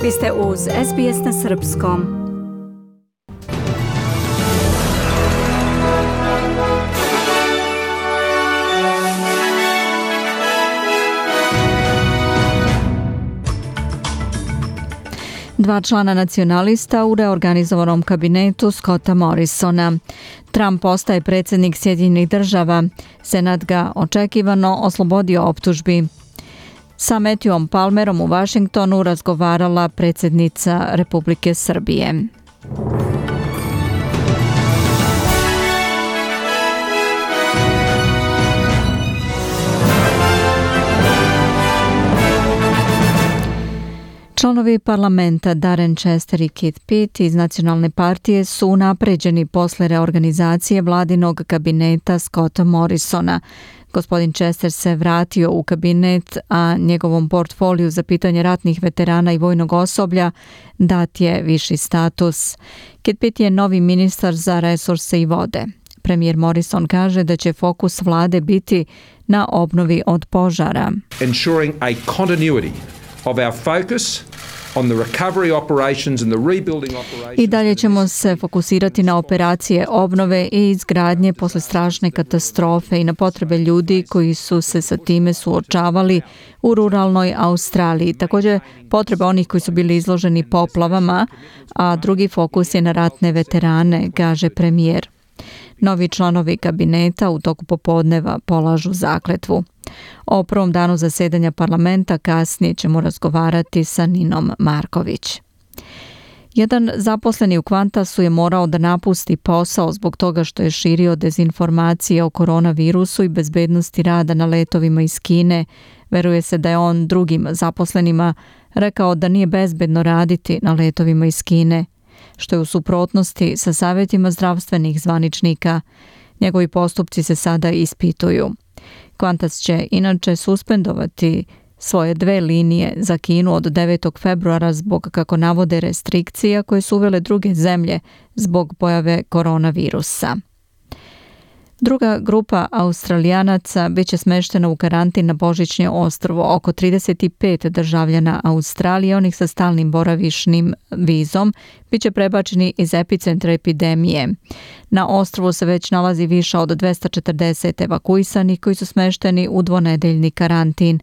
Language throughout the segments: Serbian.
Vi ste uz SBS na srpskom. Dva člana nacionalista u reorganizovanom kabinetu Scotta Morrisona. Trump postaje predsjednik Sjedinjenih država. Senat ga očekivano oslobodio optužbi. Sa Matthewom Palmerom u Vašingtonu razgovarala predsjednica Republike Srbije. Članovi parlamenta Darren Chester i Keith Pitt iz Nacionalne partije su unapređeni posle reorganizacije vladinog kabineta Scotta Morrisona. Gospodin Chester se vratio u kabinet, a njegovom portfoliju za pitanje ratnih veterana i vojnog osoblja dat je viši status. Keith Pitt je novi ministar za resurse i vode. Premijer Morrison kaže da će fokus vlade biti na obnovi od požara. Ensuring a continuity of our focus on the recovery operations and the rebuilding operations. I dalje ćemo se fokusirati na operacije obnove i izgradnje posle strašne katastrofe i na potrebe ljudi koji su se sa time suočavali u ruralnoj Australiji. Također potrebe onih koji su bili izloženi poplavama, a drugi fokus je na ratne veterane, kaže premijer. Novi članovi kabineta u toku popodneva polažu zakletvu. O prvom danu zasedanja parlamenta kasnije ćemo razgovarati sa Ninom Marković. Jedan zaposleni u Qantasu je morao da napusti posao zbog toga što je širio dezinformacije o koronavirusu i bezbednosti rada na letovima iz Kine. Veruje se da je on drugim zaposlenima rekao da nije bezbedno raditi na letovima iz Kine, što je u suprotnosti sa savjetima zdravstvenih zvaničnika. Njegovi postupci se sada ispituju. Qantas će inače suspendovati svoje 2 linije za Kinu od 9. februara zbog, kako navode, restrikcija koje su uvele druge zemlje zbog pojave koronavirusa. Druga grupa Australijanaca bit će smeštena u karantin na Božićnje ostrvo. Oko 35 državljana Australije, onih sa stalnim boravišnim vizom, bit će prebačeni iz epicentra epidemije. Na ostrvu se već nalazi više od 240 evakuisanih koji su smešteni u dvonedeljni karantin.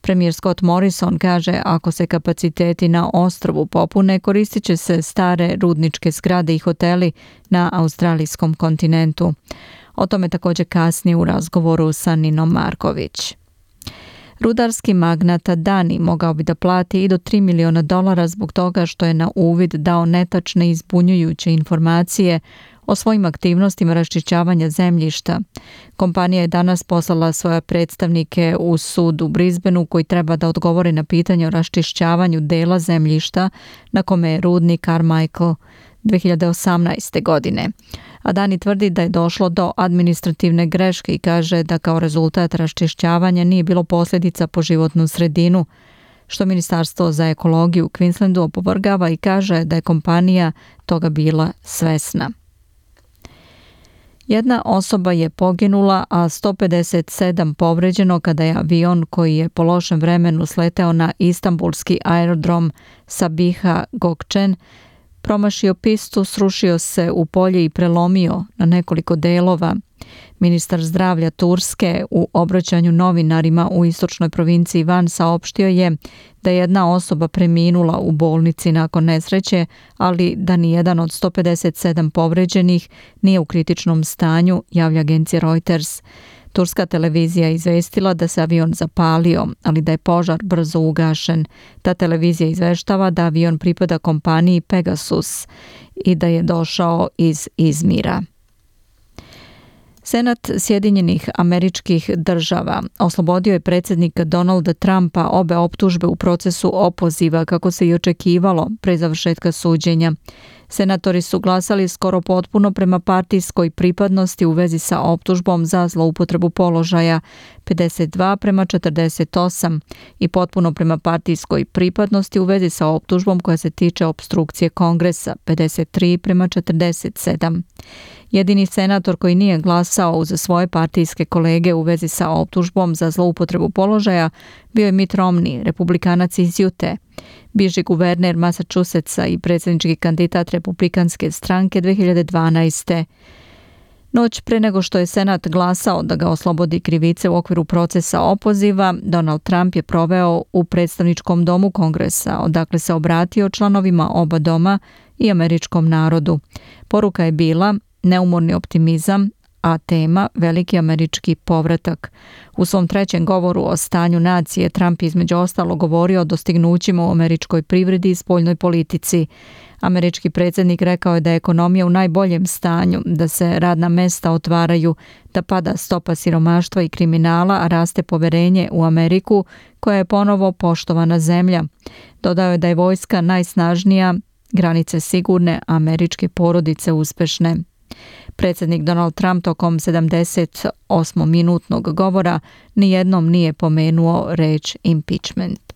Premijer Scott Morrison kaže ako se kapaciteti na ostrvu popune, koristit će se stare rudničke zgrade i hoteli na australijskom kontinentu. O tome također kasnije u razgovoru sa Ninom Marković. Rudarski magnat Adani mogao bi da plati i do $3 miliona zbog toga što je na uvid dao netačne i zbunjujuće informacije o svojim aktivnostima raščišćavanja zemljišta. Kompanija je danas poslala svoje predstavnike u sud u Brisbaneu koji treba da odgovore na pitanje o raščišćavanju dela zemljišta na kome je rudnik Carmichael 2018. godine. Adani tvrdi da je došlo do administrativne greške i kaže da kao rezultat raščišćavanja nije bilo posljedica po životnu sredinu, što Ministarstvo za ekologiju u Queenslandu opovrgava i kaže da je kompanija toga bila svesna. Jedna osoba je poginula, a 157 povređeno kada je avion koji je po lošem vremenu sleteo na istanbulski aerodrom Sabiha Gökçen promašio pistu, srušio se u polje i prelomio na nekoliko delova. Ministar zdravlja Turske u obraćanju novinarima u istočnoj provinciji Van saopštio je da je jedna osoba preminula u bolnici nakon nesreće, ali da nijedan od 157 povređenih nije u kritičnom stanju, javlja agencija Reuters. Turska televizija je izvestila da se avion zapalio, ali da je požar brzo ugašen. Ta televizija izveštava da avion pripada kompaniji Pegasus i da je došao iz Izmira. Senat Sjedinjenih Američkih Država oslobodio je predsjednika Donalda Trumpa obe optužbe u procesu opoziva, kako se i očekivalo pre završetka suđenja. Senatori su glasali skoro potpuno prema partijskoj pripadnosti u vezi sa optužbom za zloupotrebu položaja 52:48 i potpuno prema partijskoj pripadnosti u vezi sa optužbom koja se tiče opstrukcije Kongresa 53:47. Jedini senator koji nije glasao uz svoje partijske kolege u vezi sa optužbom za zloupotrebu položaja bio je Mitt Romney, republikanac iz Utah. bivši guverner Massachusettsa i predsjednički kandidat republikanske stranke 2012. Noć pre nego što je Senat glasao da ga oslobodi krivice u okviru procesa opoziva, Donald Trump je proveo u predstavničkom domu Kongresa, odakle se obratio članovima oba doma i američkom narodu. Poruka je bila neumorni optimizam, a tema veliki američki povratak. U svom trećem govoru o stanju nacije Trump između ostalo govorio o dostignućima u američkoj privredi i spoljnoj politici. Američki predsjednik rekao je da je ekonomija u najboljem stanju, da se radna mesta otvaraju, da pada stopa siromaštva i kriminala, a raste poverenje u Ameriku koja je ponovo poštovana zemlja. Dodao je da je vojska najsnažnija, granice sigurne, a američke porodice uspešne. Predsjednik Donald Trump tokom 78-minutnog govora nijednom nije pomenuo reč impeachment.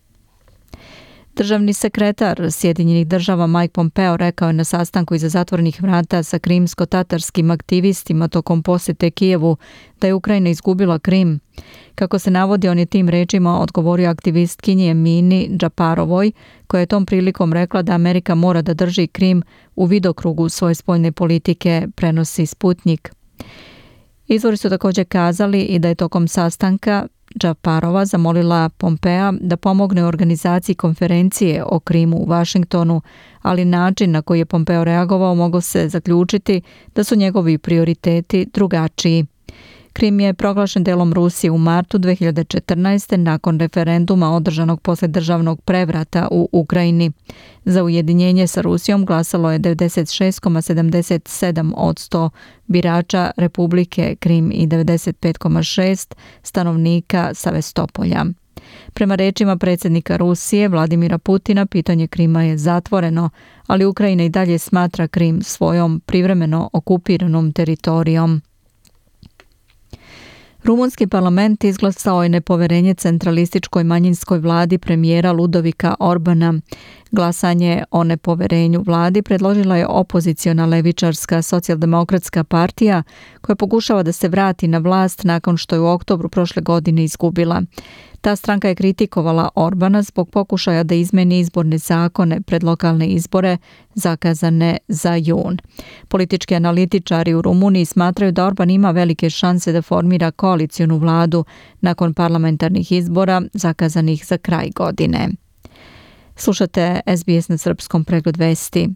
Državni sekretar Sjedinjenih država Mike Pompeo rekao je na sastanku iza zatvorenih vrata sa krimsko-tatarskim aktivistima tokom posjete Kijevu da je Ukrajina izgubila Krim. Kako se navodi, on je tim rečima odgovorio aktivistkinji Emini Džaparovoj, koja je tom prilikom rekla da Amerika mora da drži Krim u vidokrugu svoje spoljne politike, prenosi Sputnik. Izvori su također kazali i da je tokom sastanka Džaparova zamolila Pompea da pomogne u organizaciji konferencije o Krimu u Vašingtonu, ali način na koji je Pompeo reagovao mogao se zaključiti da su njegovi prioriteti drugačiji. Krim je proglašen delom Rusije u martu 2014. nakon referenduma održanog posle državnog prevrata u Ukrajini. Za ujedinjenje sa Rusijom glasalo je 96,77% birača Republike Krim i 95,6% stanovnika Sevastopolja. Prema rečima predsjednika Rusije Vladimira Putina, pitanje Krima je zatvoreno, ali Ukrajina i dalje smatra Krim svojom privremeno okupiranom teritorijom. Rumunski parlament izglasao je nepoverenje centralističkoj manjinskoj vladi premijera Ludovika Orbana. Glasanje o nepoverenju vladi predložila je opoziciona levičarska socijaldemokratska partija koja pokušava da se vrati na vlast nakon što je u oktobru prošle godine izgubila. Ta stranka je kritikovala Orbana zbog pokušaja da izmeni izborne zakone pred lokalne izbore zakazane za jun. Politički analitičari u Rumuniji smatraju da Orban ima velike šanse da formira koalicionu vladu nakon parlamentarnih izbora zakazanih za kraj godine. Slušate SBS na srpskom, pregled vesti.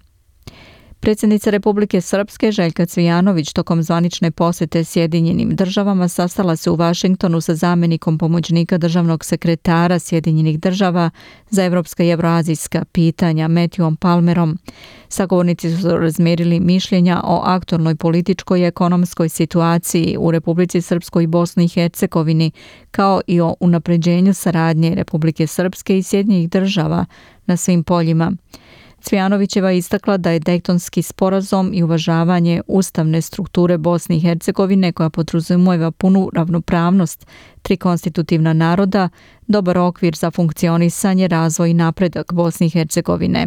Predsjednica Republike Srpske Željka Cvijanović tokom zvanične posjete Sjedinjenim državama sastala se u Vašingtonu sa zamjenikom pomoćnika državnog sekretara Sjedinjenih država za evropska i evroazijska pitanja Matthewom Palmerom. Sagovornici su razmjerili mišljenja o aktualnoj političkoj i ekonomskoj situaciji u Republici Srpskoj i Bosni i Hercegovini, kao i o unapređenju saradnje Republike Srpske i Sjedinjenih država na svim poljima. Cvijanovićeva je istakla da je Dejtonski sporazum i uvažavanje ustavne strukture Bosne i Hercegovine, koja podrazumijeva punu ravnopravnost tri konstitutivna naroda, dobar okvir za funkcionisanje, razvoj i napredak Bosne i Hercegovine.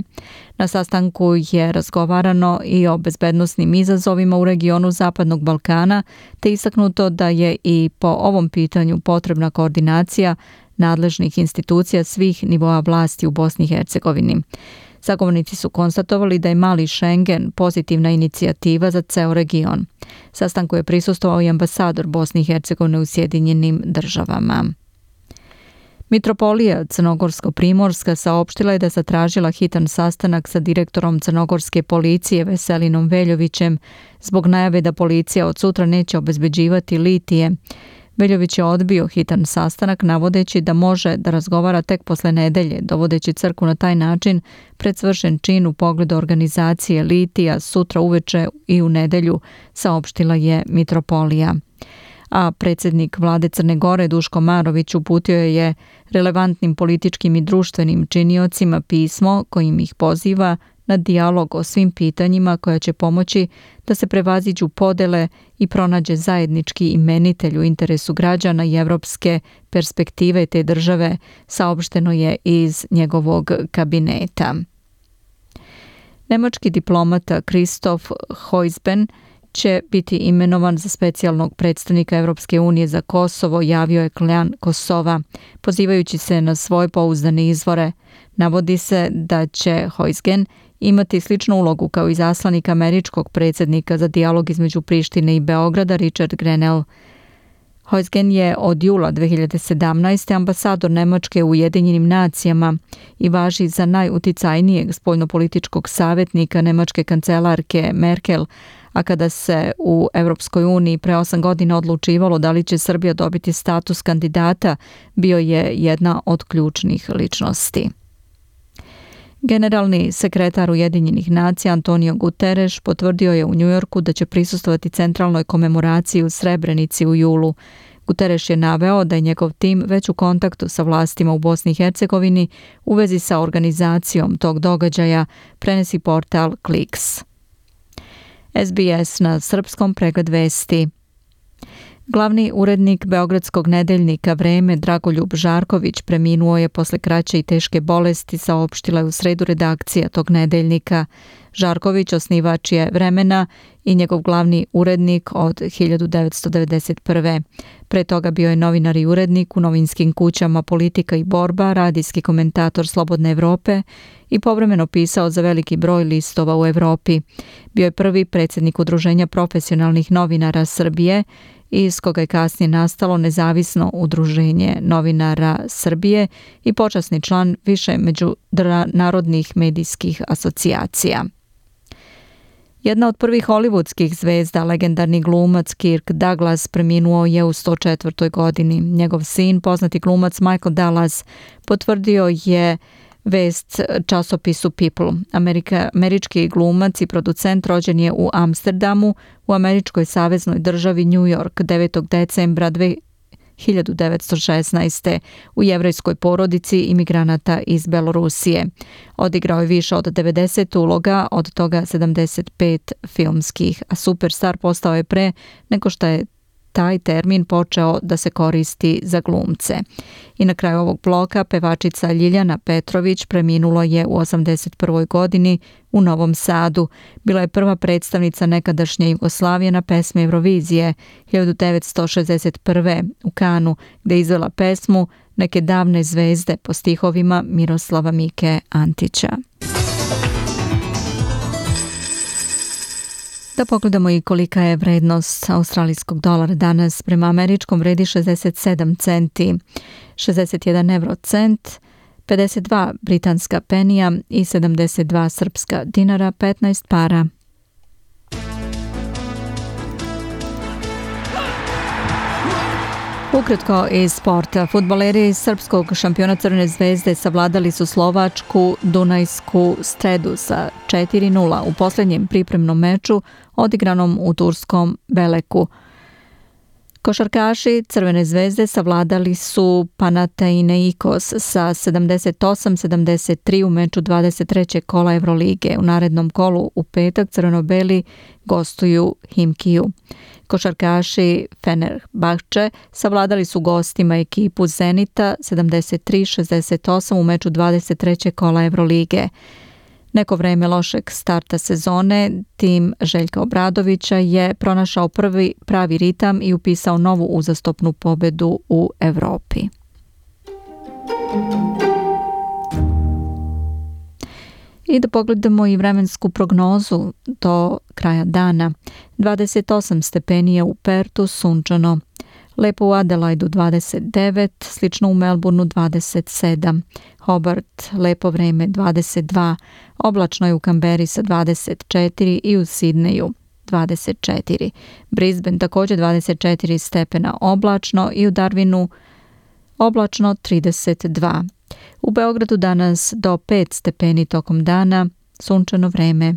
Na sastanku je razgovarano i o bezbednosnim izazovima u regionu Zapadnog Balkana, te istaknuto da je i po ovom pitanju potrebna koordinacija nadležnih institucija svih nivoa vlasti u Bosni i Hercegovini. Sagovornici su konstatovali da je mali Schengen pozitivna inicijativa za ceo region. Sastanku je prisustvovao i ambasador Bosne i Hercegovine u Sjedinjenim državama. Mitropolija Crnogorsko-Primorska saopštila je da je zatražila hitan sastanak sa direktorom crnogorske policije Veselinom Veljovićem zbog najave da policija od sutra neće obezbeđivati litije. Veljović je odbio hitan sastanak navodeći da može da razgovara tek posle nedelje, dovodeći crkvu na taj način pred svršen čin u pogledu organizacije litija sutra uveče i u nedelju, saopštila je Mitropolija. A predsjednik vlade Crne Gore Duško Marović uputio je relevantnim političkim i društvenim činiocima pismo kojim ih poziva na dijalog o svim pitanjima koja će pomoći da se prevaziđu podele i pronađe zajednički imenitelj u interesu građana i evropske perspektive te države, saopšteno je iz njegovog kabineta. Nemački diplomata Christoph Heusben će biti imenovan za specijalnog predstavnika Europske unije za Kosovo, javio je klan Kosova, pozivajući se na svoje pouzdane izvore. Navodi se da će Huisgen imati sličnu ulogu kao i izaslanik američkog predsjednika za dijalog između Prištine i Beograda Richard Grenell. Huisgen je od jula 2017. ambasador Nemačke u Ujedinjenim nacijama i važi za najuticajnijeg spoljnopolitičkog savjetnika nemačke kancelarke Merkel, a kada se u Europskoj uniji pre 8 godina odlučivalo da li će Srbija dobiti status kandidata, bio je jedna od ključnih ličnosti. Generalni sekretar Ujedinjenih nacija Antonio Guterres potvrdio je u Njujorku da će prisustvovati centralnoj komemoraciji u Srebrenici u julu. Guterres je naveo da je njegov tim već u kontaktu sa vlastima u Bosni i Hercegovini u vezi sa organizacijom tog događaja, prenosi portal Kliks. SBS na srpskom, pregled vesti. Glavni urednik beogradskog nedeljnika Vreme Dragoljub Žarković preminuo je posle kraće i teške bolesti, saopštila je u sredu redakcija tog nedeljnika. Žarković osnivač je Vremena i njegov glavni urednik od 1991. Pre toga bio je novinar i urednik u novinskim kućama Politika i borba, radijski komentator Slobodne Evrope i povremeno pisao za veliki broj listova u Evropi. Bio je prvi predsjednik Udruženja profesionalnih novinara Srbije, iz koga je kasnije nastalo Nezavisno udruženje novinara Srbije i počasni član više međunarodnih medijskih asocijacija. Jedna od prvih hollywoodskih zvezda, legendarni glumac Kirk Douglas, preminuo je u 104. godini. Njegov sin, poznati glumac Michael Dallas, potvrdio je vest časopisu People. Američki glumac i producent rođen je u Amsterdamu, u američkoj saveznoj državi New York 9. decembra 1916. u jevrejskoj porodici imigranata iz Belorusije. Odigrao je više od 90 uloga, od toga 75 filmskih, a superstar postao je pre nego što je taj termin počeo da se koristi za glumce. I na kraju ovog bloka pevačica Ljiljana Petrović preminula je u 81. godini u Novom Sadu. Bila je prva predstavnica nekadašnje Jugoslavije na pesmi Eurovizije 1961. u Kanu, gde je izvela pesmu Neke davne zvezde po stihovima Miroslava Mike Antića. Da pogledamo i kolika je vrednost australijskog dolara danas. Prema američkom vredi 67 centi, 61 eurocent, 52 britanska penija i 72 srpska dinara, 15 para. Ukratko iz sporta. Fudbaleri srpskog šampiona Crvene zvezde savladali su slovačku Dunajsku Stredu sa 4:0 u posljednjem pripremnom meču odigranom u turskom Beleku. Košarkaši Crvene zvezde savladali su Panathinaikos sa 78-73 u meču 23. kola Evrolige. U narednom kolu u petak crveno-beli gostuju Himkiju. Košarkaši Fenerbahče savladali su gostima ekipu Zenita 73-68 u meču 23. kola Evrolige. Neko vreme lošeg starta sezone, tim Željka Obradovića je pronašao prvi pravi ritam i upisao novu uzastopnu pobedu u Evropi. I da pogledamo i vremensku prognozu do kraja dana. 28 stepeni je u Pertu, sunčano. Lepo u Adelaidu 29, slično u Melbourneu 27, Hobart lepo vreme 22, oblačno je u Kamberi sa 24 i u Sidneju 24. Brisbane također 24 stepena oblačno i u Darwinu oblačno 32. U Beogradu danas do 5 stepeni tokom dana, sunčano vreme.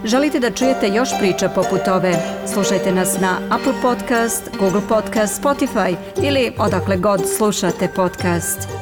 Želite da čujete još priča poput ove? Slušajte nas na Apple Podcast, Google Podcast, Spotify ili odakle god slušate podcast.